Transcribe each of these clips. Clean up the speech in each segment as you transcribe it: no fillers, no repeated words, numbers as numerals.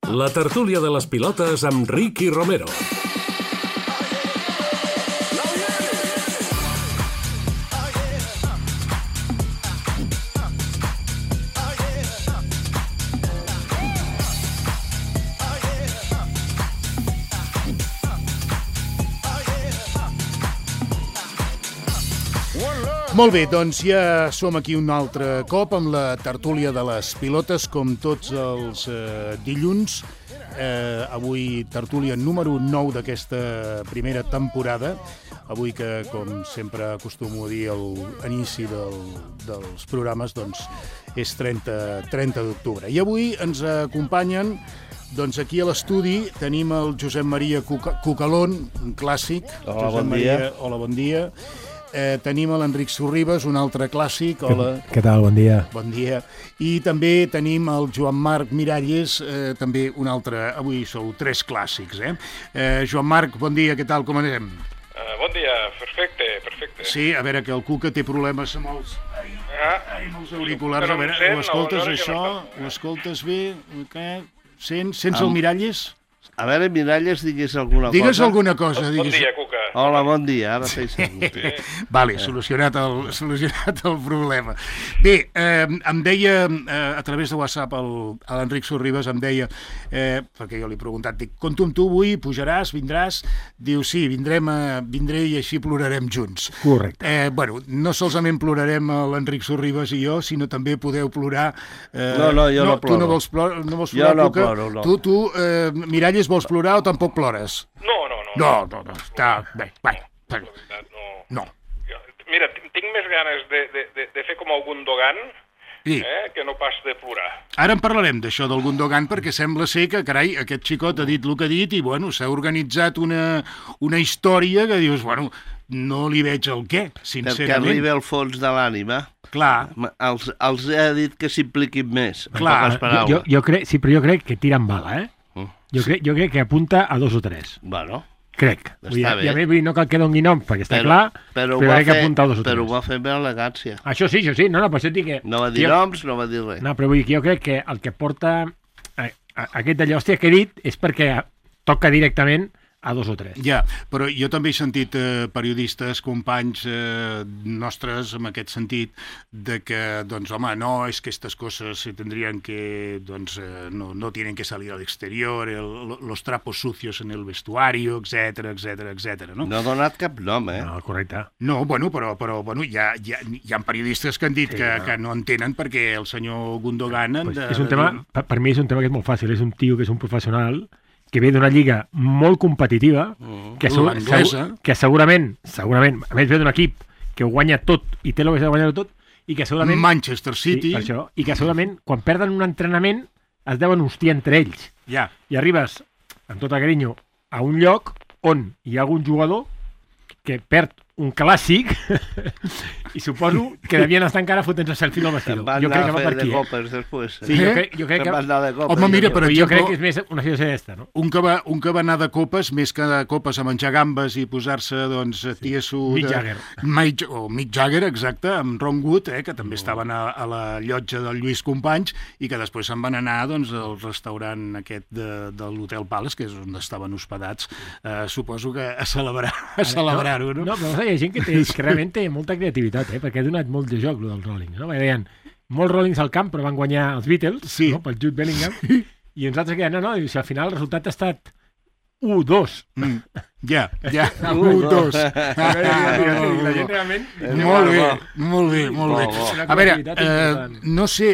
La tertúlia de les pilotes amb Ricky Romero. Molt bé, doncs ja som aquí un altre cop amb la tertúlia de les pilotes, com tots els dilluns. Avui tertúlia número 9 d'aquesta primera temporada. Avui que, com sempre acostumo a dir a l'inici dels programes, doncs és 30 d'octubre. I avui ens acompanyen, doncs aquí a l'estudi tenim el Josep Maria Cucalón, un clàssic. Hola, bon dia. Hola, bon dia. Tenim l'Enric Sorribes, un altre clàssic. Hola. Què tal? Bon dia. Bon dia. I també tenim el Joan Marc Miralles, també un altre. Avui sou tres clàssics, Joan Marc, bon dia, què tal, com anem? Bon dia, perfecte. Sí, a veure, que el Cuca té problemes amb els auriculars. A veure, ho escoltes, això? Ho escoltes bé? Sents el Miralles? A veure, Miralles, digues alguna cosa. Digues alguna cosa. Bon dia, Cuca. Hola, bon dia, ara feia segur. Vale, solucionat el problema. Bé, em deia, a través de WhatsApp, l'Enric Sorribes em deia, perquè jo li he preguntat, dic, compto amb tu avui, pujaràs, vindràs? Diu, sí, vindré i així plorarem junts. Correcte. Bueno, no solament plorarem l'Enric Sorribes i jo, sinó també podeu plorar. No, jo no ploro. Tu no vols plorar, jo no ploro, no. Tu, Miralles, vols plorar o tampoc plores? No, està bé. No. Mira, tinc més ganes de fer com el Gundogan, que no pas de plorar. Ara en parlarem d'això del Gundogan, perquè sembla ser que, carai, aquest xicot ha dit el que ha dit i, bueno, s'ha organitzat una història que dius, bueno, no li veig el què, sincerament. Perquè arriba al fons de l'ànima. Clar. Els he dit que s'impliquin més. Clar. Jo crec que tira amb bala, Jo crec que apunta a 2 o 3. Bueno. Crec. Està bé. I a mi no cal que doni nom, perquè està clar, però crec que apunta a 2 o 3. Però ho va fer amb elegància. Això sí. No, per això dic que... No va dir noms, no va dir res. No, però vull dir que jo crec que el que porta aquest d'allò, hòstia, que he dit, és perquè toca directament a 2 o 3. Ja, però jo també he sentit periodistes, companys nostres, en aquest sentit, de que, doncs, home, no, és que estas cosas se tendrían que, doncs, no tienen que salir al exterior, los trapos sucios en el vestuario, etcétera, no? No ha donat cap nom, No, correcte. No, bueno, però bueno, hi ha periodistes que han dit que no entenen perquè el senyor Gundogan... És un tema, per mi és un tema que és molt fàcil, és un tio que és un professional que ve d'una lliga molt competitiva, que segurament, a més ve d'un equip que ho guanya tot i té l'obligació de guanyar-ho tot, i que segurament... Manchester City. Sí, per això, i que segurament, quan perden un entrenament, es deuen hostiar entre ells. Ja. I arribes, amb tot el carinyo, a un lloc on hi ha algun jugador que perd un clàssic i suposo que devien estar encara fotent-se selfie al vestidor. Jo crec que va per aquí. Copes després. Sí, jo crec que... Home, mira, per exemple... Jo crec que és més una situació d'esta, no? Un que va anar de copes, més que de copes a menjar gambes i posar-se, doncs, tieso... Mick Jagger. Mick Jagger, exacte, amb Ron Wood, que també estaven a la llotja del Lluís Companys i que després se'n van anar, doncs, al restaurant aquest de l'Hotel Palace, que és on estaven hospedats, suposo que a celebrar-ho, no? No, però hi ha gent que realment té molta creativitat, perquè ha donat molt de joc, el Rollins, no? Perquè deien, molts Rollins al camp, però van guanyar els Beatles, no? Pel Jude Bellingham, i uns altres que deien, no, si al final el resultat ha estat 1-2. Ja, 1-2. La gent realment... Molt bé. A veure, no sé,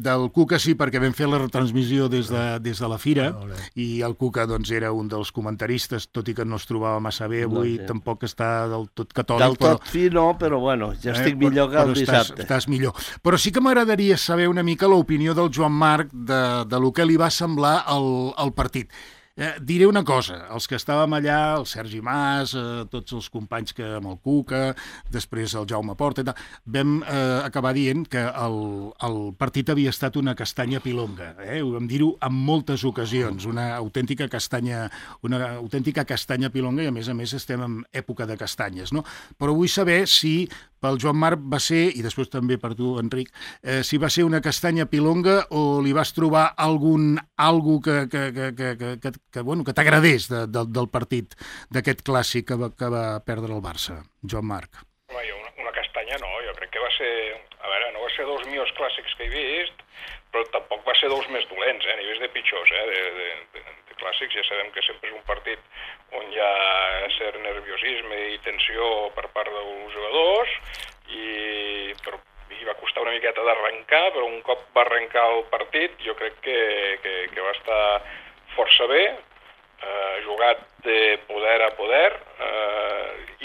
del Cuca sí, perquè vam fer la retransmissió des de la Fira, i el Cuca doncs era un dels comentaristes, tot i que no es trobava massa bé avui, tampoc està del tot catòlic. Del tot fi no, però bueno, ja estic millor que el dissabte. Estàs millor. Però sí que m'agradaria saber una mica l'opinió del Joan Marc de lo que li va semblar el partit. Diré una cosa, els que estàvem allà, el Sergi Mas, tots els companys amb el Cuca, després el Jaume Porta i tal, vam acabar dient que el partit havia estat una castanya pilonga. Ho vam dir-ho en moltes ocasions, una autèntica castanya pilonga, i a més estem en època de castanyes, no? Però vull saber si pel Joan Marc va ser, i després també per tu, Enric, si va ser una castanya pilonga o li vas trobar algo que t'agradés del partit, d'aquest clàssic que va perdre el Barça, Joan Marc. Home, una castanya no, jo crec que va ser... A veure, no va ser dels millors clàssics que he vist, però tampoc va ser dels més dolents, ni vist de pitjors, de clàssics. Ja sabem que sempre és un partit on hi ha cert nerviosisme i tensió per part dels jugadors, i va costar una miqueta d'arrencar, però un cop va arrencar el partit jo crec que va estar força bé, jugat de poder a poder,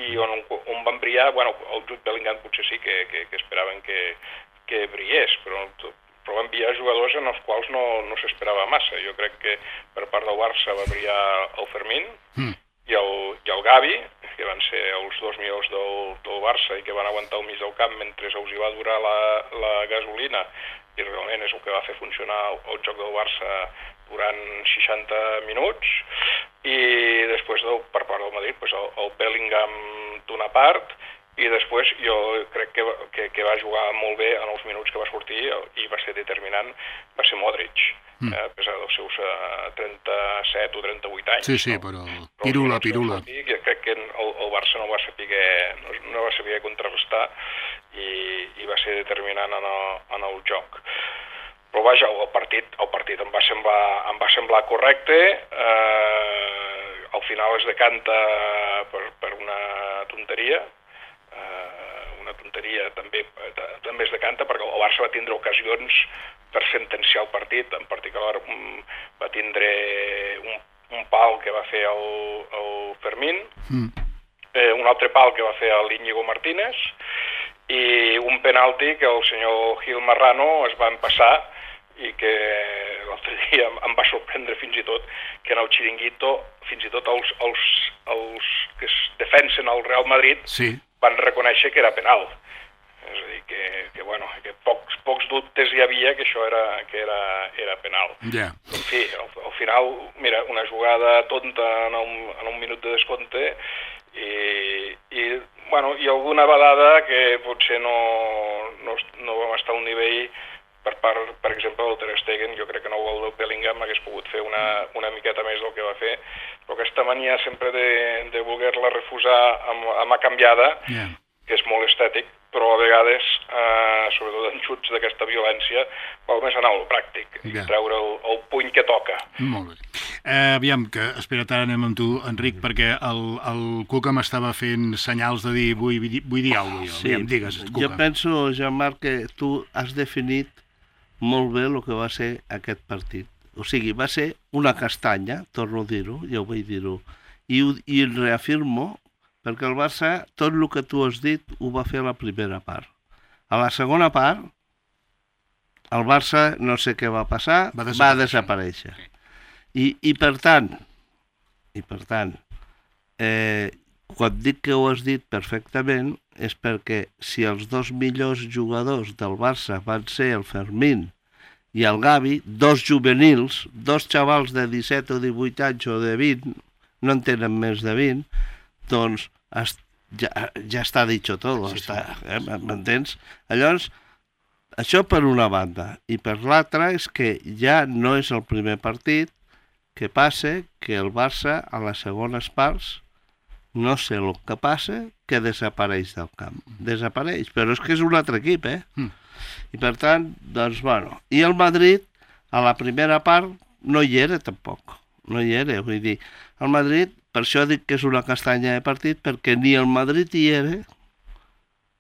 i on van brillar, el Jude Bellingham potser sí que esperaven que brillés, però van brillar jugadors en els quals no s'esperava massa. Jo crec que per part del Barça va brillar el Fermín i el Gavi, que van ser els dos millors del Barça i que van aguantar al mig del camp mentre els hi va durar la gasolina, i realment és el que va fer funcionar el joc del Barça durant 60 minuts. I després, per part del Madrid, el Bellingham d'una part, i després jo crec que va jugar molt bé en els minuts que va sortir i va ser determinant, va ser Modric, a pesar dels seus 37 o 38 anys. Sí, però pirula. Jo crec que el Barça no va saber contrarrestar i va ser determinant en el joc. Però vaja, el partit em va semblar correcte, al final es decanta per una tonteria, també es decanta perquè el Barça va tindre ocasions per sentenciar el partit. En particular va tindre un pal que va fer el Fermín, un altre pal que va fer l'Íñigo Martínez i un penalti que el senyor Gil Marrano es va empassar i que l'altre dia em va sorprendre fins i tot que en el xiringuito fins i tot els que es defensen al Real Madrid van reconèixer que era penal. És a dir, que pocs dubtes hi havia que això era penal. En fi, al final, mira, una jugada tonta en un minut de descompte i alguna vegada que potser no vam estar a un nivell per part, per exemple, del Ter Stegen. Jo crec que el gol del Bellingham hagués pogut fer una miqueta més del que va fer, però aquesta mania sempre de voler-la refusar amb a canviada, que és molt estètic, però a vegades, sobretot en xuts d'aquesta violència, val més anar al pràctic i treure el puny que toca. Molt bé. Aviam, que espera't, ara anem amb tu, Enric, perquè el Cuca m'estava fent senyals de dir vull dir alguna cosa. Sí, digues, Cuca. Jo penso, Jean-Marc, que tu has definit molt bé el que va ser aquest partit. O sigui, va ser una castanya, torno a dir-ho, ja ho vaig dir-ho, i reafirmo, perquè el Barça, tot el que tu has dit, ho va fer a la primera part. A la segona part, el Barça, no sé què va passar, va desaparèixer. I per tant, quan dic que ho has dit perfectament, és perquè si els dos millors jugadors del Barça van ser el Fermín i el Gavi, dos juvenils, dos xavals de 17 o 18 anys o de 20, no en tenen més de 20, doncs ja està dicho todo, m'entens? Llavors, això per una banda, i per l'altra és que ja no és el primer partit que passa que el Barça a les segones parts no sé el que passa, que desapareix del camp. Desapareix, però és que és un altre equip, I per tant, doncs, bueno. I el Madrid, a la primera part, no hi era tampoc. No hi era, vull dir, el Madrid, per això dic que és una castanya de partit, perquè ni el Madrid hi era,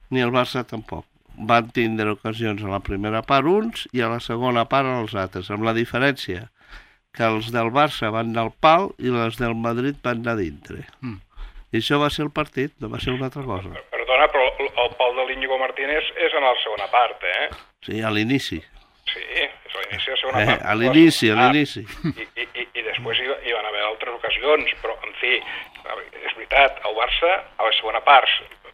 ni el Barça tampoc. Van tindre ocasions a la primera part uns i a la segona part els altres, amb la diferència que els del Barça van anar al pal i els del Madrid van anar dintre. I això va ser el partit, no va ser una altra cosa. Perdona, però el pal de l'Íñigo Martínez és en la segona part, Sí, a l'inici. Sí, és a l'inici de la segona part. A l'inici. I després hi van haver ocasions, però, en fi, és veritat, el Barça a la segona part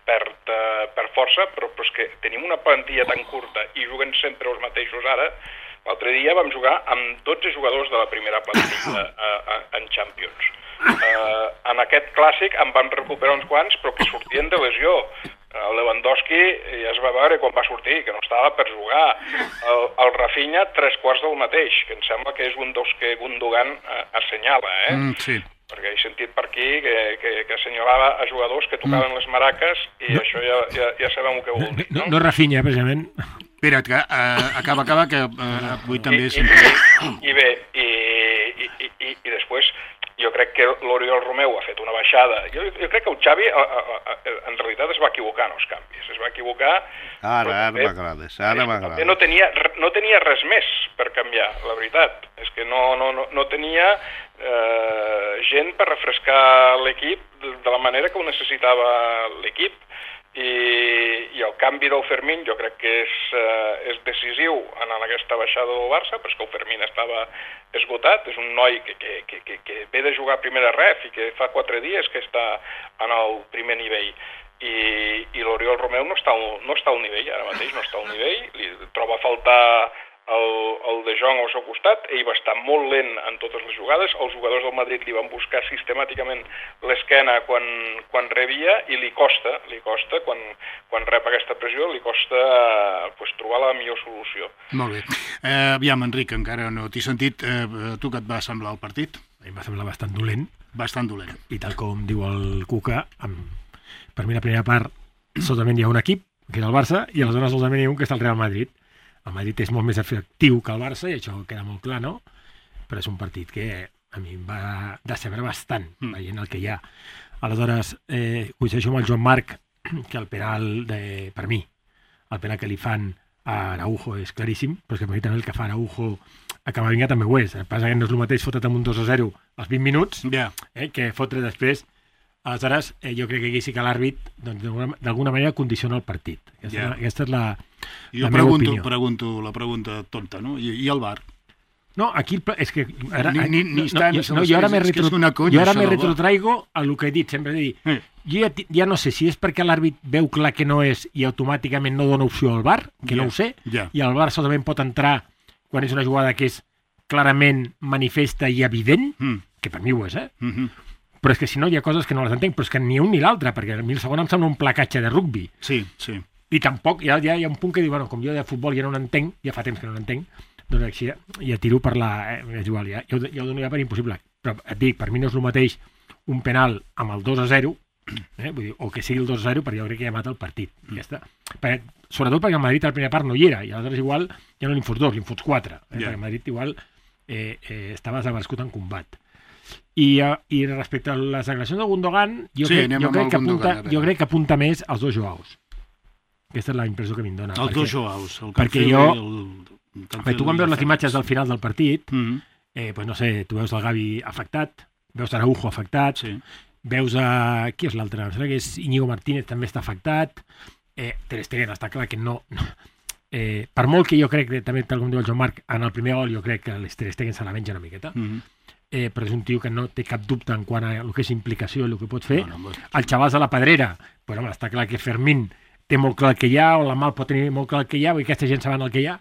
perd força, però és que tenim una plantilla tan curta i juguen sempre els mateixos ara. L'altre dia vam jugar amb 12 jugadors de la primera plantilla en Champions. En aquest clàssic en vam recuperar uns quants, però que sortien de lesió. El Lewandowski ja es va veure quan va sortir, que no estava per jugar. El Rafinha, 3/4 del mateix, que em sembla que és un dels que Gundogan assenyala, Sí. Perquè he sentit per aquí que assenyalava a jugadors que tocaven les maraques i això ja sabem el que vol dir, no? No Rafinha, precisament. Espera't, que acaba, que avui també... I bé, i després jo crec que l'Oriol Romeu ha fet una baixada. Jo crec que el Xavi en realitat es va equivocar en els canvis. Es va equivocar... Ara m'agrades. No tenia res més per canviar, la veritat. És que no tenia gent per refrescar l'equip de la manera que ho necessitava l'equip. I el canvi del Fermín jo crec que és decisiu en aquesta baixada del Barça, perquè el Fermín estava esgotat, és un noi que ve de jugar a primera ref i que fa 4 dies que està en el primer nivell, i l'Oriol Romeu no està al nivell, ara mateix no està al nivell, li troba a faltar el De Jong al seu costat, ell va estar molt lent en totes les jugades, els jugadors del Madrid li van buscar sistemàticament l'esquena quan rebia, i li costa quan rep aquesta pressió, li costa trobar la millor solució. Molt bé. Aviam, Enric, encara no t'he sentit. Tu què et va semblar el partit? A mi em va semblar bastant dolent. Bastant dolent. I tal com diu el Cuca, per mi la primera part solament hi ha un equip, que és el Barça, i aleshores solament hi ha un que està el Real Madrid. El Madrid és molt més efectiu que el Barça, i això queda molt clar, no? Però és un partit que a mi em va decebre bastant, veient el que hi ha. Aleshores, coincideixo amb el Joan Marc, que el penal, per mi, el penal que li fan a Araujo és claríssim, però és que per mi també el que fa Araujo a Camavinga també ho és. El que passa que no és el mateix fotre't amb un 2-0 als 20 minuts que fotre després. Aleshores, jo crec que aquí sí que l'àrbit d'alguna manera condiciona el partit. Aquesta és la meva opinió. Jo pregunto la pregunta tonta, no? I el VAR? No, aquí és que... Jo ara me retrotraigo a el que he dit, sempre he dit. Jo ja no sé si és perquè l'àrbit veu clar que no és i automàticament no dona opció al VAR, que no ho sé, i el VAR solament pot entrar quan és una jugada que és clarament manifesta i evident, que per mi ho és, però és que si no hi ha coses que no les entenc, però és que ni un ni l'altre, perquè a mi el segon em sembla un placatge de rugbi. Sí. I tampoc, ja hi ha un punt que diu, bueno, com jo de futbol ja no n'entenc, ja fa temps que no n'entenc, doncs així ja tiro per la... és igual, ja ho dono ja per impossible. Però et dic, per mi no és el mateix un penal amb el 2-0, vull dir, o que sigui el 2-0, perquè jo crec que ja mata el partit. Ja està. Sobretot perquè el Madrid a la primera part no hi era, i aleshores igual ja no li'n fots 2, li'n fots 4. Perquè el Madrid igual estava desaparegut en combat. I respecte a les agressions de Gundogan, jo crec que apunta més als dos Joaos. Aquesta és la impressió que m'hi dona. Els dos Joaos. Perquè tu quan veus les imatges del final del partit, pues no sé, tu veus el Gavi afectat, veus Araujo afectat, veus qui és l'altre? Em sembla que és Íñigo Martínez, també està afectat, Ter Stegen està clar que no... per molt que jo crec que també, tal com diu el Joan Marc, en el primer gol jo crec que l'Ter Stegen se la menja una miqueta, però és un tio que no té cap dubte en quant a el que és implicació i el que pot fer. El xavals de la Pedrera, pues, home, està clar que Fermín té molt clar el que hi ha, o la Mal pot tenir molt clar el que hi ha, i aquesta gent saben el que hi ha.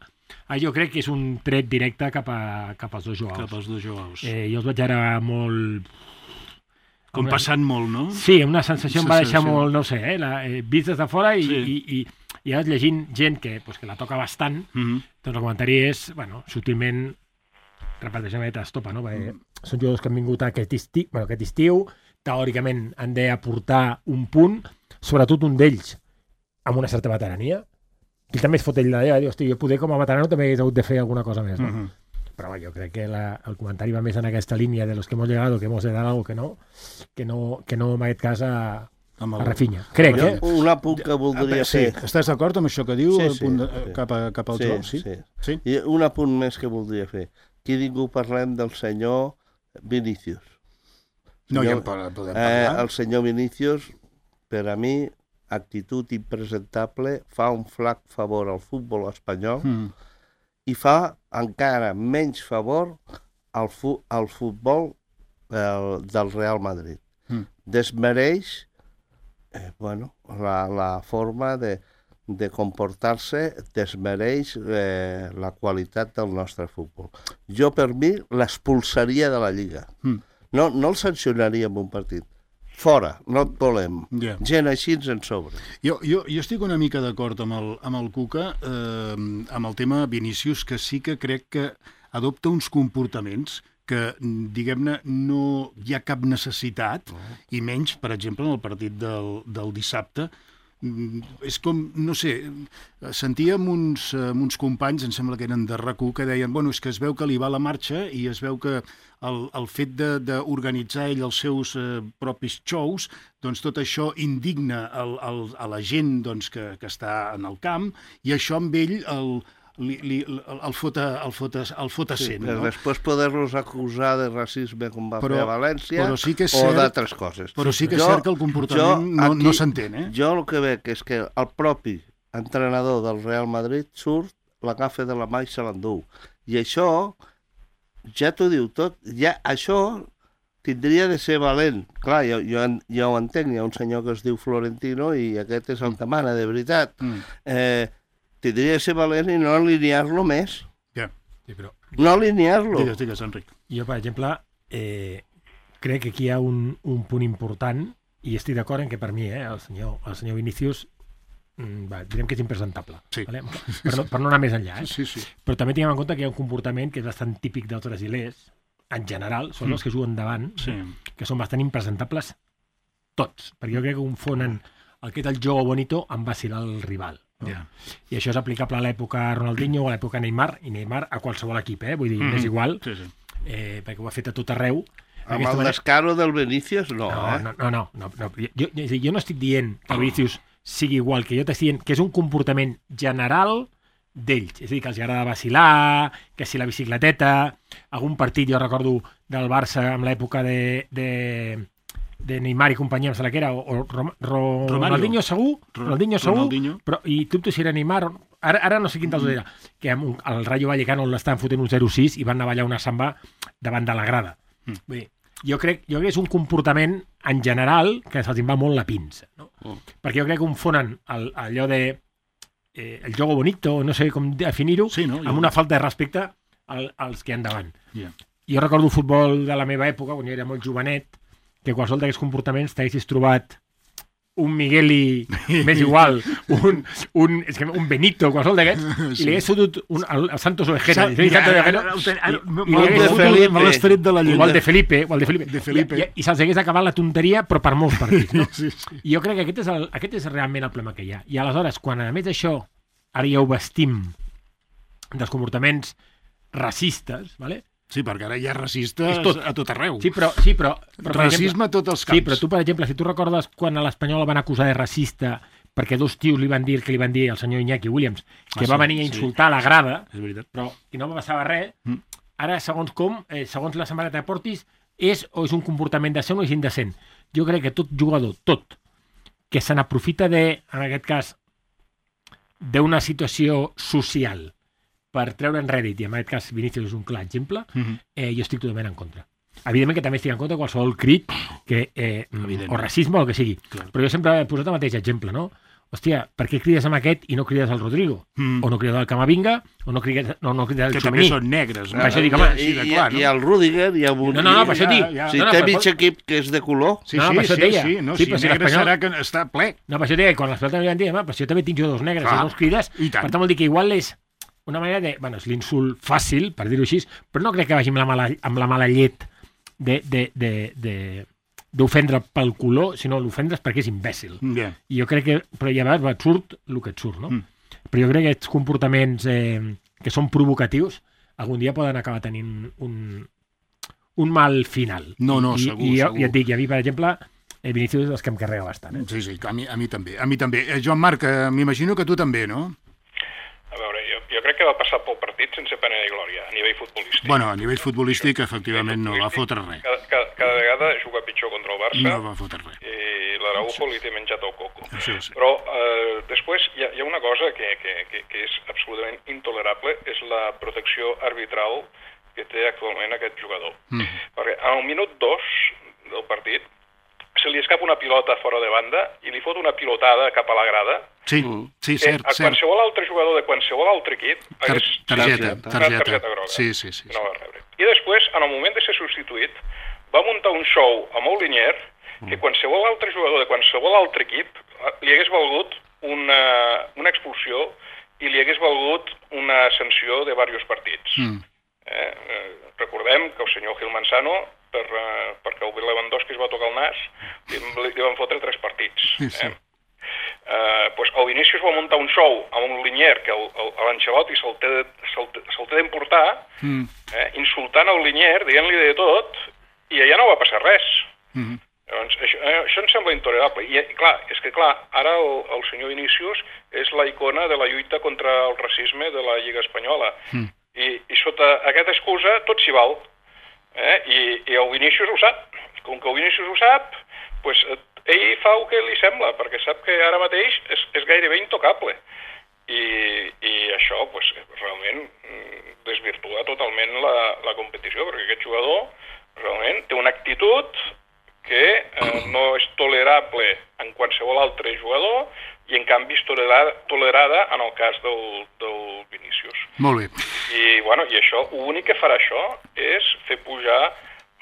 Jo crec que és un tret directe cap als dos Joaos. Cap als dos Joaos. Jo els vaig ara molt... Com passant molt, no? Sí, una sensació em va deixar molt, no sé, vist des de fora i ara llegint gent que la toca bastant, doncs el comentari és, bueno, sutilment repeteixement estopa, no? Són jugadors que han vingut aquest estiu, teòricament han d'aportar un punt, sobretot un d'ells amb una certa veterania, i també es fot ell de hosti, jo poder com a veterano també hagués hagut de fer alguna cosa més, no? Però jo crec que el comentari va més en aquesta línia de los que hemos llegado, que hemos de dar algo que no en aquest cas a Rafinha. Crec, Un apunt que voldria fer. Estàs d'acord amb això que diu cap al joc? Sí. I un apunt més que voldria fer. Aquí ningú parlem del senyor Vinícius. No, ja en podem parlar. El senyor Vinícius, per a mi, actitud impresentable, fa un flac favor al futbol espanyol i fa encara menys favor al futbol del Real Madrid. Desmereix la forma de comportar-se, desmereix la qualitat del nostre futbol. Jo, per mi, l'expulsaria de la Lliga. No el sancionaria en un partit. Fora, no et volem. Gent així ens sobra. Jo estic una mica d'acord amb el Cuca, amb el tema Vinícius, que sí que crec que adopta uns comportaments que, diguem-ne, no hi ha cap necessitat, i menys, per exemple, en el partit del dissabte. És com, no sé, sentíem uns companys, em sembla que eren de RAC1, que deien, bueno, és que es veu que li va la marxa i es veu que el fet d'organitzar ell els seus propis shows, doncs tot això indigna a la gent que està en el camp, i això amb ell el fot essent. Després poder-los acusar de racisme com va fer a València o d'altres coses. Però sí que és cert que el comportament no s'entén. Jo el que veig és que el propi entrenador del Real Madrid surt, l'agafa de la mà i se l'endú. I això, ja t'ho diu tot, ja això tindria de ser valent. Clar, jo ho entenc, hi ha un senyor que es diu Florentino i aquest és el que mana, de veritat. Tindria de ser valent i no alinear-lo més. No alinear-lo. Digues, Enric. Jo, per exemple, crec que aquí hi ha un punt important, i estic d'acord en que per mi, el senyor Vinícius, direm que és impresentable. Sí. Vale? Per no anar més enllà. Sí. Però també tinguem en compte que hi ha un comportament que és bastant típic dels brasilers, en general, són els que juguen davant, que són bastant impresentables tots, perquè jo crec que confonen el jogo bonito amb vacilar el rival. I això és aplicable a l'època Ronaldinho o a l'època Neymar, i Neymar a qualsevol equip, vull dir, és igual, perquè ho ha fet a tot arreu. Amb el descaro del Vinícius, no. No. Jo no estic dient que el Vinícius sigui igual, que jo t'estic dient que és un comportament general d'ells, és a dir, que els agrada vacilar, que si la bicicleteta, algun partit, jo recordo del Barça amb l'època de Neymar i companyia, em sembla que era, o Ronaldinho segur, però, i dubto si era Neymar, ara no sé quin dels dos era, que el Rayo Vallecano l'estaven fotent un 0-6 i van anar a ballar una samba davant de la grada. Vull dir, jo crec que és un comportament en general que se'ls va molt la pinça, no? Perquè jo crec que confonen allò de el jogo bonito, no sé com definir-ho, amb una falta de respecte als que hi ha davant. Jo recordo el futbol de la meva època, quan jo era molt jovenet, que qualsevol d'aquests comportaments t'haguessis trobat un Migueli, m'és igual, un Benito, qualsevol d'aquests, i li hagués fotut el Santos Ovejero, amb l'esperit de la llengua. O el de Felipe, i se'ls hagués acabat la tonteria, però per molts partits. No? I jo crec que aquest és realment el problema que hi ha. I aleshores, quan a més d'això, ara ja ho vestim dels comportaments racistes, ¿vale? Sí, perquè ara hi ha racistes a tot arreu. Sí, però racisme a tots els camps. Sí, però tu, per exemple, si tu recordes quan a l'Espanyol el van acusar de racista perquè dos tios li van dir al senyor Iñaki Williams, que va venir a insultar a la grada, però i no passava res, ara, segons la samarreta de portis, és un comportament decent o és indecent. Jo crec que tot jugador, que se n'aprofita en aquest cas, d'una situació social per treure en rèdit, i en aquest cas Vinícius és un clar exemple, jo estic totalment en contra. Evidentment que també estic en contra de qualsevol crit o racisme o el que sigui. Però jo sempre he posat el mateix exemple, no? Hòstia, per què crides amb aquest i no crides al Rodrigo? O no crides al Camavinga, o no crides al Txomení. Que també són negres, no? Per això dic, home, i el Rüdiger, i el Bundí. No, per això dic. Si té mig equip que és de color. Sí, si negre serà que està ple. No, per això dic, quan les pelotes m'hi van dir, però si jo també tinc jugadors negres i no els crides, per tant vol dir que igual és una manera de... Bueno, és l'insult fàcil, per dir-ho així, però no crec que vagi amb la mala llet d'ofendre pel color, sinó l'ofendres perquè és imbècil. I jo crec que... Però ja veus, et surt el que et surt, no? Però jo crec que aquests comportaments que són provocatius algun dia poden acabar tenint un mal final. No, segur. I ja et dic, i a mi, per exemple, Vinícius és dels que em carrega bastant. Sí, a mi també. Joan Marc, m'imagino que tu també, no? A veure, jo crec que va passar pel partit sense pena ni glòria, a nivell futbolístic. Bueno, a nivell futbolístic, efectivament, no va fotre res. Cada vegada juga pitjor contra el Barça. No va fotre res. I l'Araujo li té menjat el coco. Sí. Però després hi ha una cosa que és absolutament intolerable, és la protecció arbitral que té actualment aquest jugador. Perquè al minut 2 del partit se li escapa una pilota fora de banda i li fot una pilotada cap a la grada. Sí, cert. A qualsevol altre jugador de qualsevol altre equip targeta groga. Sí. No va rebre. I després, en el moment de ser substituït, va muntar un show amb el Linier que qualsevol altre jugador de qualsevol altre equip li hagués valgut una expulsió i li hagués valgut una sanció de diversos partits. Recordem que el senyor Gil Manzano, perquè el Lewandowski es va tocar el nas, li van fotre 3 partits. El Vinícius va muntar un show amb un Linier que l'Ancelotti se'l té d'emportar, insultant el Linier, dient-li de tot, i allà no va passar res. Llavors, això em sembla intolerable. I clar, ara el senyor Vinícius és la icona de la lluita contra el racisme de la Lliga Espanyola. I sota aquesta excusa tot s'hi val. I el Vinícius ho sap. Com que el Vinícius ho sap, ell fa el que li sembla, perquè sap que ara mateix és gairebé intocable. I això realment desvirtua totalment la competició, perquè aquest jugador realment té una actitud que no és tolerable en qualsevol altre jugador i en canvi és tolerada en el cas del Vinícius. Molt bé. I això, l'únic que farà això és fer pujar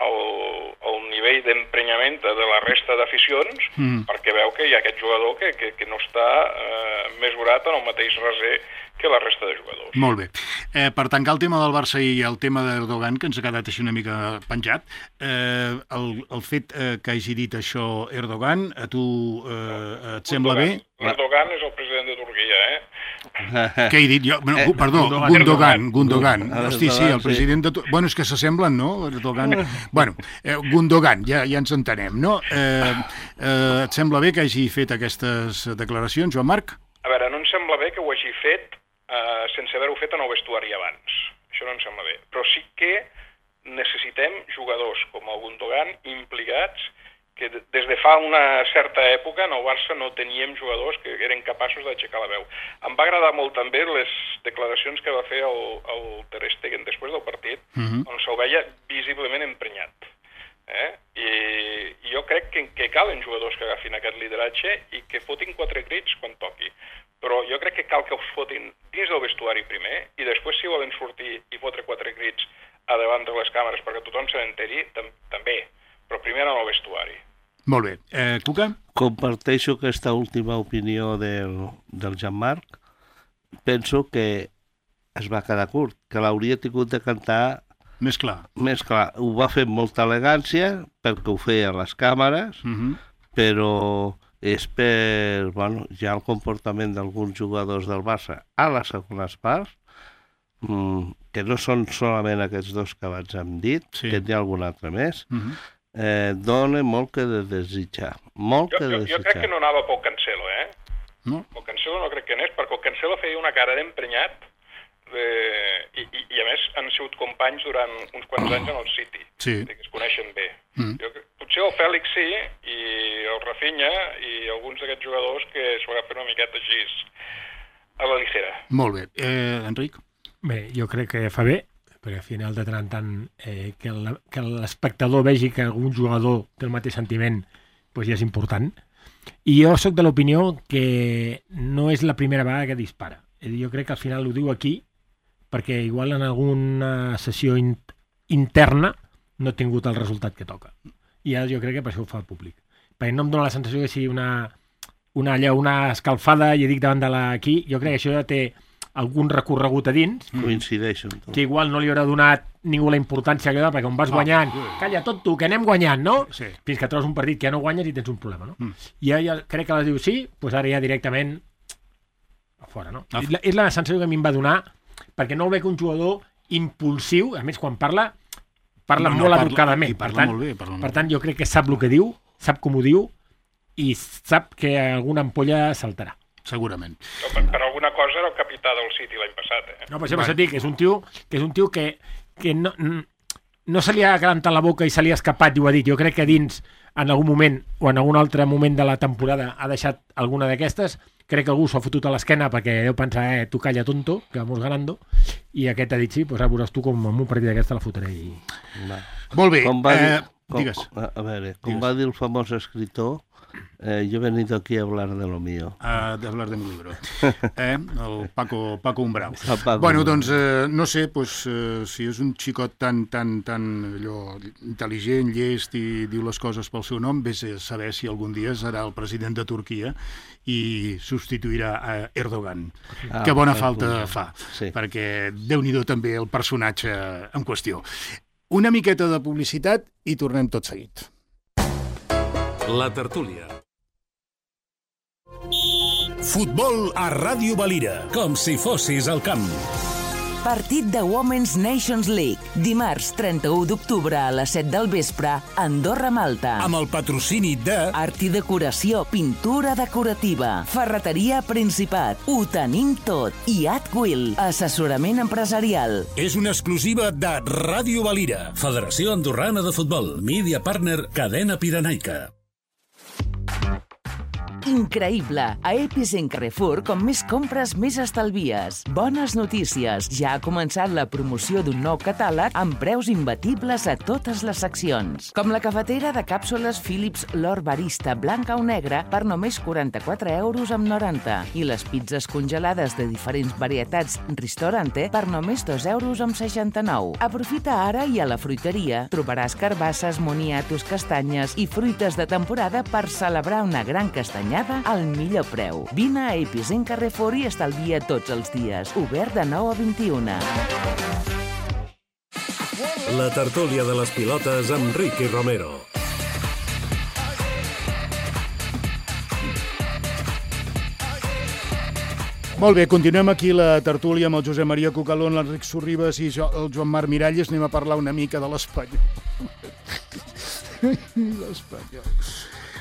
el nivell d'emprenyament de la resta d'aficions perquè veu que hi ha aquest jugador que no està mesurat en el mateix raser que la resta de jugadors. Molt bé. Per tancar el tema del Barça i el tema d'Erdogan, que ens ha quedat així una mica penjat, el fet que hagi dit això Erdogan, a tu et sembla bé? Erdogan és el president de Turquia, Què he dit jo? Perdó, Gundogan. Hosti, sí, el president de... Bueno, és que s'assemblen, no? Erdogan... Bueno, Gundogan, ja ens entenem, no? Et sembla bé que hagi fet aquestes declaracions, Joan Marc? A veure, no em sembla bé que ho hagi fet sense haver-ho fet en el vestuari abans. Això no em sembla bé. Però sí que necessitem jugadors com el Gundogan implicats que des de fa una certa època en el Barça no teníem jugadors que eren capaços d'aixecar la veu. Em va agradar molt també les declaracions que va fer el Ter Stegen després del partit, on se'l veia visiblement emprenyat. I jo crec que calen jugadors que agafin aquest lideratge i que fotin 4 crits quan toqui. Però jo crec que cal que els fotin dins del vestuari primer i després si volen sortir i fotre 4 crits a davant de les càmeres perquè tothom se n'enteri, també. Però primer en el vestuari. Molt bé. Cuca? Comparteixo aquesta última opinió del Jean-Marc. Penso que es va quedar curt, que l'hauria tingut de cantar més clar. Ho va fer amb molta elegància, perquè ho feia a les càmeres, però és per ja el comportament d'alguns jugadors del Barça a les segones parts, que no són solament aquests 2 que abans hem dit, que n'hi ha algun altre més, dona molt que de desitjar. Jo crec que no anava pel Cancelo, No? El Cancelo no crec que anés, perquè el Cancelo feia una cara d'emprenyat i a més han sigut companys durant uns quants anys en el City, que es coneixen bé. Potser el Fèlix sí, i el Rafinha i alguns d'aquests jugadors que s'ho agafen una miqueta així a la ligera. Molt bé. Enric? Bé, jo crec que fa bé, perquè al final de tant en tant que l'espectador vegi que algun jugador té el mateix sentiment, doncs ja és important. I jo sóc de l'opinió que no és la primera vegada que dispara. Jo crec que al final ho diu aquí, perquè igual en alguna sessió interna no ha tingut el resultat que toca. I ara jo crec que per això ho fa públic. Perquè no em dóna la sensació que sigui una escalfada, i dic davant de aquí, jo crec que això ja té algun recorregut a dins. Coincideixo amb tu. Que igual no li haurà donat ningú la importància que dona, perquè on vas guanyant, calla tot tu, que anem guanyant, no? Sí. Fins que trobes un partit que ja no guanyes i tens un problema, no? I ja crec que les diu sí, doncs ara ja directament a fora, no? És la sensació que a mi em va donar, perquè no veig un jugador impulsiu, a més quan parla molt educadament. Per tant, jo crec que sap el que diu, sap com ho diu i sap que alguna ampolla saltarà. Segurament. Per alguna cosa era el capità del City l'any passat, No, per això m'has dit que és un tio que no se li ha calentat la boca i se li ha escapat i ho ha dit. Jo crec que dins, en algun moment o en algun altre moment de la temporada ha deixat alguna d'aquestes crec que algú s'ho ha fotut a l'esquena perquè deu pensar, tu calla tonto, que vamos ganando, i aquest ha dit sí, doncs ara veuràs tu com en un partit d'aquesta la fotré. Molt bé, digues. A veure, com va dir el famós escritor, yo he venido aquí a hablar de lo mío. A hablar de mi libro. El Paco Umbral. Bueno, doncs, no sé, si és un xicot tan allò, intel·ligent, llest i diu les coses pel seu nom, vés a saber si algun dia serà el president de Turquia i substituirà a Erdogan. Que bona falta fa, perquè Déu-n'hi-do també el personatge en qüestió. Una miqueta de publicitat i tornem tot seguit. La tertúlia. Futbol a Ràdio Valira. Com si fossis al camp. Partit de Women's Nations League. Dimarts 31 d'octubre a les 7 del vespre, Andorra-Malta. Amb el patrocini de... Art i decoració, pintura decorativa, ferreteria Principat, ho tenim tot. I Atwill, assessorament empresarial. És una exclusiva de Ràdio Valira. Federació Andorrana de Futbol. Media Partner Cadena Pirenaica. Increïble! A Epicent Carrefour, com més compres, més estalvies. Bones notícies! Ja ha començat la promoció d'un nou catàleg amb preus imbatibles a totes les seccions. Com la cafetera de càpsules Philips L'Or Barista blanca o negra per només 44,90 € i les pizzas congelades de diferents varietats Ristorante per només 2,69 €. Aprofita ara i a la fruiteria trobaràs carbasses, moniatos, castanyes i fruites de temporada per celebrar una gran castanyada al millor preu. Vine a Epicent Carrefour i estalvia tots els dies. Obert de 9 a 21. La tertúlia de les pilotes amb Ricky Romero. Molt bé, continuem aquí la tertúlia amb el Josep Maria Cucalón, l'Enric Sorribas i el Joan Marc Miralles. Anem a parlar una mica de l'Espanyol. L'Espanyol.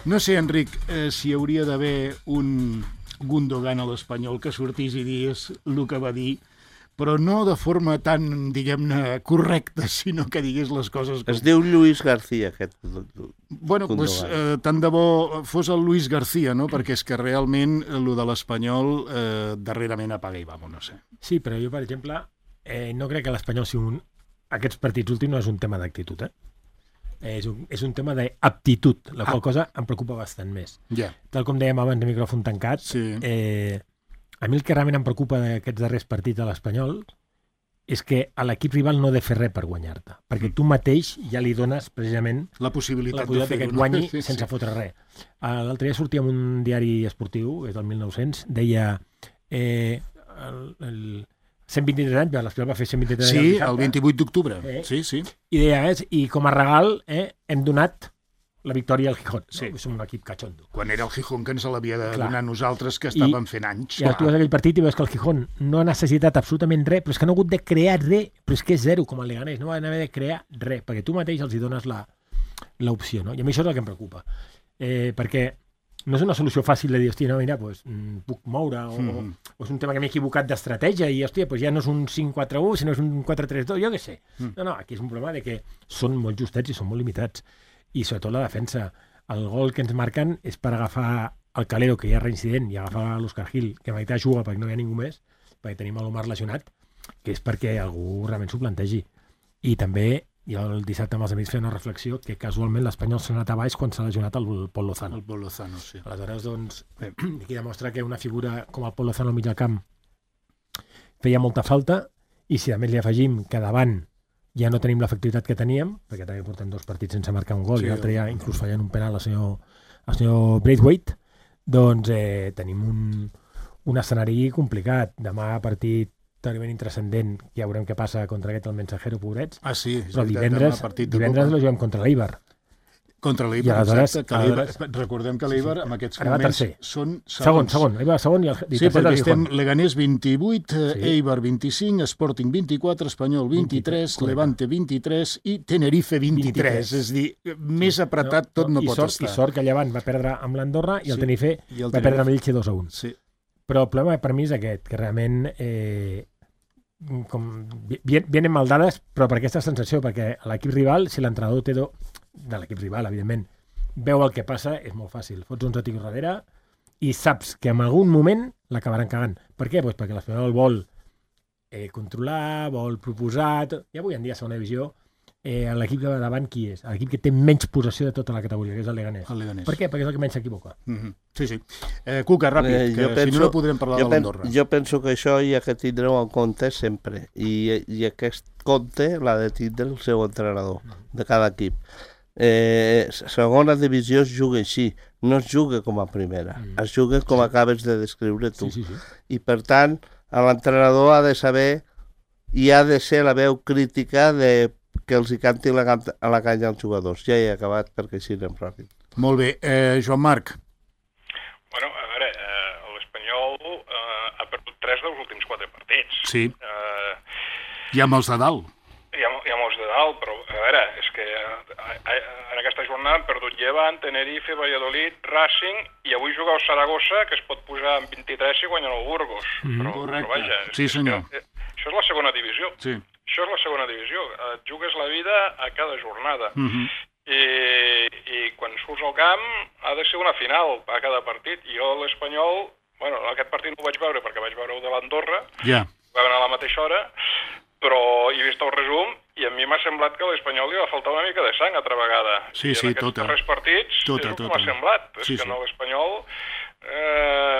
No sé, Enric, si hi hauria d'haver un Gundogan a l'Espanyol que sortís i digués el que va dir, però no de forma tan, diguem-ne, correcta, sinó que digués les coses... Es diu Lluís García, aquest Bueno, doncs tant de bo fos el Luis García, no? Perquè és que realment el de l'Espanyol darrerament apaga i vamos, no sé. Sí, però jo, per exemple, no crec que l'Espanyol sigui aquests partits últims no és un tema d'actitud, és un tema d'aptitud, la qual cosa em preocupa bastant més. Tal com dèiem abans de micròfon tancat, a mi el que realment em preocupa d'aquests darrers partits de l'Espanyol és que a l'equip rival no ha de fer res per guanyar-te, perquè tu mateix ja li dones precisament la possibilitat que et guanyi sense fotre res. L'altre dia sortia en un diari esportiu, és del 1900, deia 123 anys, l'Espanyol va fer 123 anys. Sí, el 28 d'octubre. Sí. I deia, i com a regal hem donat la victòria al Gijón. Sí. Som un equip cachondo. Quan era el Gijón que ens l'havia de donar nosaltres, que estàvem fent anys. I tu vas a aquell partit i veus que el Gijón no ha necessitat absolutament res, però és que no ha hagut de crear res, però és que és zero, com el Leganés, no van haver de crear res, perquè tu mateix els hi dones l'opció, no? I a mi això és el que em preocupa. Perquè no és una solució fàcil de dir, hòstia, no, mira, puc moure, o és un tema que m'he equivocat d'estratègia, i hòstia, ja no és un 5-4-1, sinó és un 4-3-2, jo què sé. No, aquí és un problema de que són molt justets i són molt limitats. I sobretot la defensa. El gol que ens marquen és per agafar el Calero, que ja és reincident, i agafar l'Òscar Gil, que a meitat juga perquè no hi ha ningú més, perquè tenim l'Omar lesionat, que és perquè algú realment s'ho plantegi. I també jo el dissabte amb els amics feia una reflexió que casualment l'Espanyol s'ha anat a baix quan s'ha lesionat el Pol Lozano. El Pol Lozano, sí. Aleshores, doncs, aquí demostra que una figura com el Pol Lozano al mig del camp feia molta falta, i si a més li afegim que davant ja no tenim l'efectivitat que teníem, perquè també portem 2 partits sense marcar un gol, i l'altre ja inclús fallant un penal al senyor Braithwaite, doncs tenim un escenari complicat. Demà partit terriblement intrascendent, ja veurem què passa contra aquest el Mensajero, pobrets. Sí, però divendres lo juguem contra l'Eibar. Contra l'Eibar, exacte. Recordem que l'Eibar en aquests moments són segons. Segon, l'Eibar segon i el Sí, perquè estem Leganés 28, Eibar 25, Sporting 24, Espanyol 23, Levante 23 i Tenerife 23. És a dir, més apretat tot no pot estar. I sort que Llevant va perdre amb l'Andorra i el Tenerife va perdre amb Elche 2-1. Sí. Però el problema per mi és aquest, que realment vienen mal dades, però per aquesta sensació, perquè a l'equip rival, si l'entrenador de l'equip rival, evidentment, veu el que passa, és molt fàcil. Fots 11 tics darrere i saps que en algun moment l'acabaran cagant. Per què? Pues perquè l'Espanyol vol controlar, vol proposar... I avui en dia a segona divisió l'equip que va davant qui és? L'equip que té menys possessió de tota la categoria, que és el Leganés. Per què? Perquè és el que menys s'equivoca. Sí, sí. Cuca, ràpid, que si no podrem parlar de l'Andorra. Jo penso que això hi ha que tindre en compte sempre, i aquest compte l'ha de tindre el seu entrenador de cada equip. Segona divisió es juga així, no es juga com a primera, es juga com acabes de descriure tu. I per tant, l'entrenador ha de saber i ha de ser la veu crítica de que els hi canti a la canya als jugadors. Ja he acabat perquè així anem ràpid. Molt bé. Joan Marc. Bueno, a veure, l'Espanyol ha perdut 3 dels últims 4 partits. Sí. Hi ha molts de dalt. Hi ha molts de dalt, però a veure, és que en aquesta jornada han perdut Llevant, Tenerife, Valladolid, Racing, i avui juga el Saragossa, que es pot posar en 23 i guanyar el Burgos. Correcte. Però vaja, sí, senyor. Això és la segona divisió. Sí. Això és la segona divisió. Et jugues la vida a cada jornada. I quan surts al camp ha de ser una final a cada partit. I jo l'Espanyol, bueno, aquest partit no ho vaig veure perquè vaig veure-ho de l'Andorra, va anar a la mateixa hora, però he vist el resum i a mi m'ha semblat que a l'Espanyol li va faltar una mica de sang altra vegada. Sí, I en aquests darrers partits és el que m'ha semblat. És que no, l'Espanyol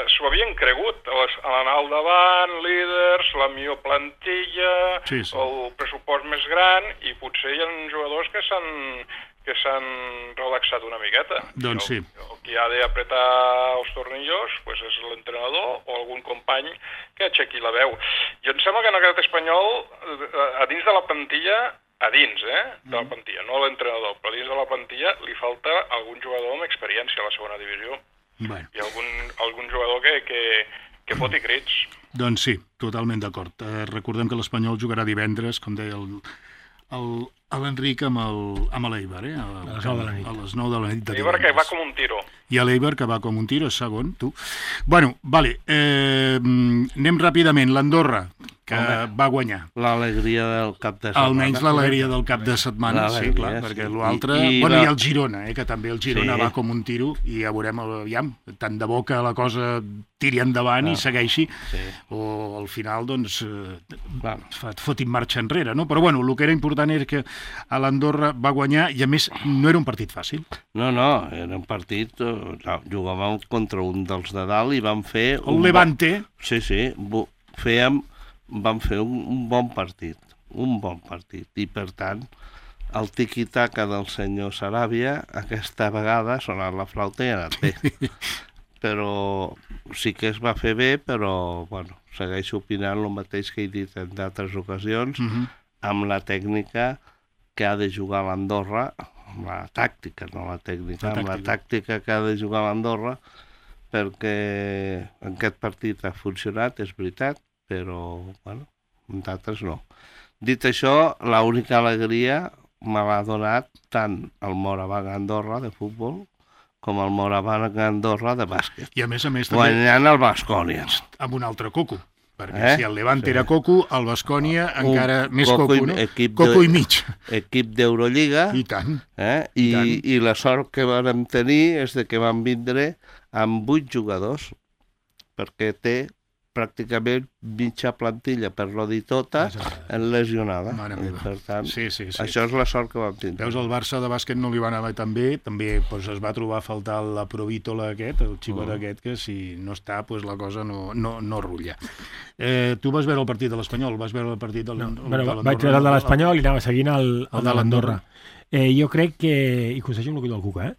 s'ho havien cregut, l'anar al davant, líders, la millor plantilla, el pressupost més gran, i potser hi ha jugadors que s'han relaxat una miqueta. Doncs sí. El que ha d'apretar els tornillos pues és l'entrenador o algun company que aixequi la veu. Jo em sembla que en aquest Espanyol, a dins de la plantilla, de la plantilla, no l'entrenador, però dins de la plantilla li falta algun jugador amb experiència a la segona divisió. Bueno. I algun jugador que foti crits. Doncs sí, totalment d'acord. Recordem que l'Espanyol jugarà divendres, com deia l'Enric, amb l'Eibar, a les 9 de la nit. L'Eibar que va com un tiro. I l'Eibar que va com un tiro, és segon, tu. Bueno, vale, anem ràpidament. L'Andorra, que va guanyar. L'alegria del cap de setmana. Almenys l'alegria del cap de setmana, sí, clar, perquè l'altre... Bueno, i el Girona, que també el Girona va com un tiro, i ja veurem, aviam, tant de bo que la cosa tiri endavant i segueixi, o al final, doncs, et fotin marxa enrere, no? Però, bueno, el que era important és que a l'Andorra va guanyar, i a més, no era un partit fàcil. No, era un partit... Jugàvem contra un dels de dalt i vam fer... El Levante. Sí, vam fer un bon partit, i per tant el tiqui-taca del senyor Saràbia aquesta vegada ha sonat la flauta i ha anat bé. Però sí que es va fer bé, però bueno, segueixo opinant el mateix que he dit en d'altres ocasions, amb la tècnica que ha de jugar l'Andorra, amb la tàctica, no la tècnica, amb la tàctica que ha de jugar l'Andorra, perquè aquest partit ha funcionat, és veritat, però, bueno, d'altres no. Dit això, l'única alegria me l'ha donat tant el Moraván Andorra de futbol com el Moraván Andorra de bàsquet. I a més també... Guanyant el Baskonia. Amb un altre coco. Perquè si el Levante era coco, el Baskonia encara més coco, no? Coco i mig. Equip d'Eurolliga. I tant. I la sort que vam tenir és que van vindre amb 8 jugadors, perquè té pràcticament mitja plantilla, per no dir tota, lesionada. Per tant, això és la sort que vam tindre. Veus, el Barça de bàsquet no li va anar tan bé, també es va trobar a faltar la Provítola aquest, el xicot aquest, que si no està, la cosa no rutlla. Tu vas veure el partit de l'Espanyol? Vas veure el partit de l'Andorra? Vaig veure el de l'Espanyol i anava seguint el de l'Andorra. Jo crec que, i coincideixo amb el que diu el Cuca,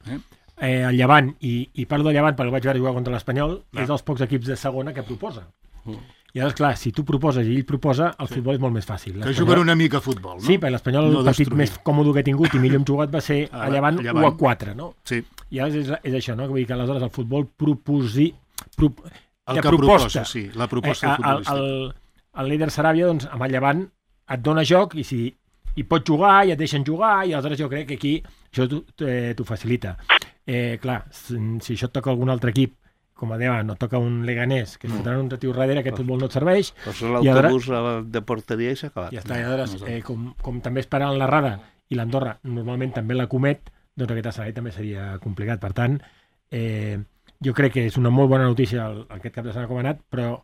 el Llevant, i parlo de Llevant perquè vaig veure jugar contra l'Espanyol, és dels pocs equips de segona que proposa. I llavors, clar, si tu proposes i ell proposa, el futbol és molt més fàcil. Que juguen una mica a futbol, no? Sí, perquè l'Espanyol, el partit més còmode que he tingut i millor hem jugat va ser a Llevant 1-4, no? Sí. I llavors és això, no? Vull dir que aleshores el futbol proposa, sí, la proposta futbolística. El líder Saràbia, doncs, amb el Llevant et dona joc i si hi pots jugar i et deixen jugar i aleshores jo crec que aquí això t'ho facilita. Clar, si això et toca algun altre equip, com a deia, no toca un Leganés, que s'entren un retiu darrere, aquest futbol no et serveix. Posa l'autobús de porteria i s'ha acabat. Ja està, i aleshores, com també esperen la Rada i l'Andorra normalment també la comet, doncs aquest escenari també seria complicat. Per tant, jo crec que és una molt bona notícia aquest cap de setmana com ha anat, però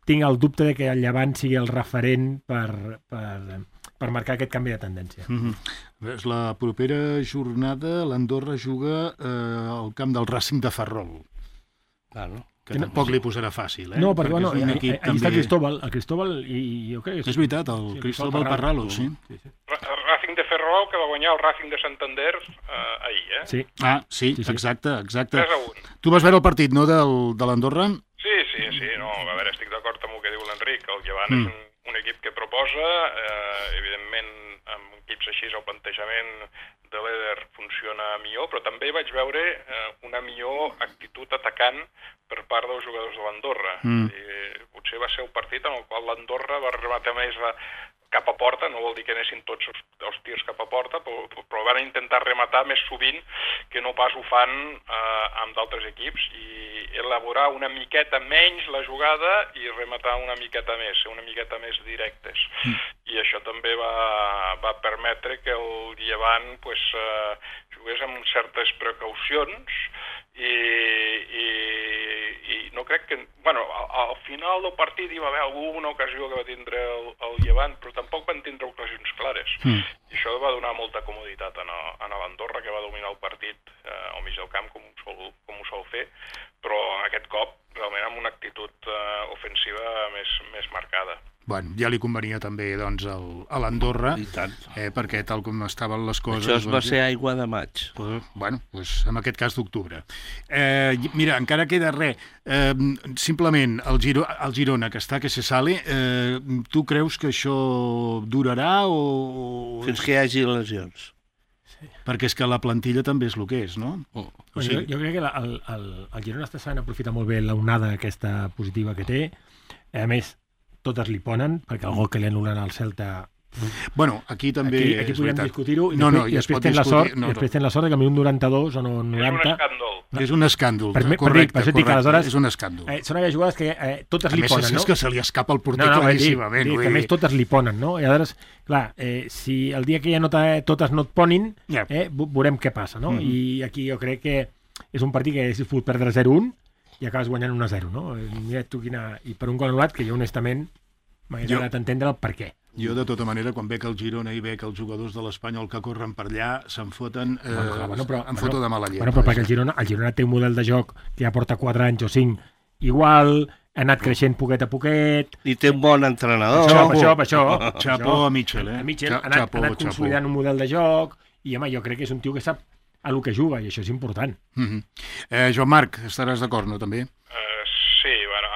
tinc el dubte de que el Llevant sigui el referent per marcar aquest canvi de tendència. És la propera jornada, l'Andorra juga al camp del Racing de Ferrol. Claro. Que tampoc li posarà fàcil, eh? No, perquè bueno, és un equip allà està el Cristóbal i jo crec que... És veritat, el Cristóbal Parralo, sí. Racing de Ferrol, que va guanyar el Racing de Santander ahir, eh? Sí. Ah, sí, exacte. 3-1. Tu vas veure el partit, no, de l'Andorra? Sí, no, a veure, estic d'acord amb el que diu l'Enric. El Llevant és un equip que proposa, evidentment, amb equips així el plantejament de l'Eder funciona millor, però també vaig veure una millor actitud atacant per part dels jugadors de l'Andorra. Potser va ser el partit en el qual l'Andorra va rematar més cap a porta, no vol dir que anessin tots els tirs cap a porta, però van intentar rematar més sovint que no pas ho fan amb d'altres equips, i elaborar una miqueta menys la jugada i rematar una miqueta més, ser una miqueta més directes. I això també va permetre que el Llevant jugués amb certes precaucions, i no crec que... Bueno, al final del partit hi va haver alguna ocasió que va tindre el Llevant, però tampoc van tindre ocasions clares. I això va donar molta comoditat a l'Andorra, que va dominar el partit al mig del camp, com ho sol fer, però aquest cop realment amb una actitud ofensiva més marcada. Bueno, ja li convenia també doncs, a l'Andorra, perquè tal com estaven les coses... Això va ser aigua de maig. Bueno, en aquest cas d'octubre. Mira, encara queda res. Simplement, el Girona, que està que se sale, tu creus que això durarà o... Fins que hi hagi lesions. Perquè és que la plantilla també és el que és, no? Jo crec que el Girona està sabent aprofitar molt bé l'onada aquesta positiva que té. A més, totes li ponen, perquè el gol que li anulen al Celta... Bueno, aquí també... Aquí podríem discutir-ho, i després tens la sort que a mi un 92 o no 90... És un escàndol. Correcte. Per això dic que aleshores... És un escàndol. Són aquelles jugades que totes li ponen, no? A més, és que se li escapa el porter claríssimament. A més, totes li ponen, no? I aleshores, clar, si el dia que ja totes no et ponin, veurem què passa, no? I aquí jo crec que és un partit que haguessis pogut perdre 0-1 i acabes guanyant 1-0, no? Mira tu quina... I per un gol anul·lat que jo, honestament, m'hagués agradat entendre el per què. Jo, de tota manera, quan veig el Girona i veig els jugadors de l'Espanyol que corren per allà, se'n foten en foto de mala llet. Però perquè el Girona té un model de joc que ja porta 4 anys o 5 igual, ha anat creixent poquet a poquet... I té un bon entrenador. Per això. Xapó a Mitchell, A Mitchell ha anat consolidant un model de joc i, home, jo crec que és un tio que sap a lo que juga i això és important. Joan Marc, estaràs d'acord, no, també? Sí, bueno,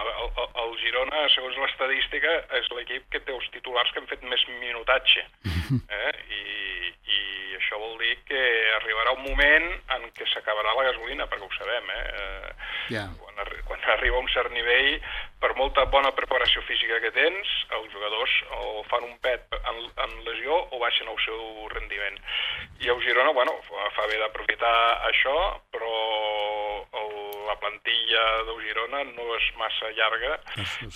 el Girona, segons l'estadística, és l'equip que té els titulars que han fet més minutatge. I això vol dir que arribarà un moment en què s'acabarà la gasolina, perquè ho sabem, Quan arriba a un cert nivell, per molta bona preparació física que tens, els jugadors o fan un pet en lesió o baixen el seu rendiment. I el Girona, fa bé d'aprofitar això, però la plantilla del Girona no és massa llarga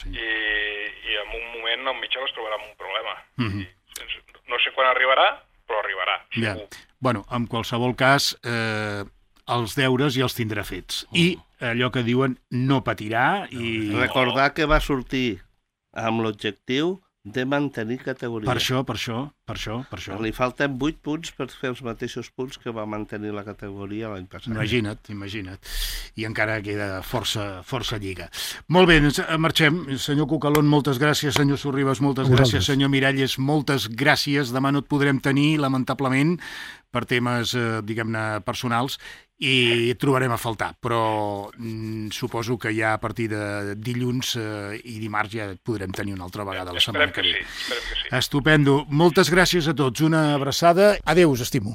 i en un moment al Mitchell es trobarà amb un problema. No sé quan arribarà, però arribarà, segur. Bueno, en qualsevol cas, els deures ja els tindrà fets. I allò que diuen no patirà i... Recordar que va sortir amb l'objectiu de mantenir categoria. Per això. Li falten 8 punts per fer els mateixos punts que va mantenir la categoria l'any passat. Imagina't. I encara queda força lliga. Molt bé, marxem. Senyor Cucalón, moltes gràcies. Senyor Sorribas, moltes gràcies. Senyor Miralles, moltes gràcies. Demà no et podrem tenir, lamentablement, per temes, diguem-ne, personals, i et trobarem a faltar, però suposo que ja a partir de dilluns i dimarts ja et podrem tenir una altra vegada la setmana que ve. Esperem que sí. Estupendo. Moltes gràcies a tots. Una abraçada. Adéu, us estimo.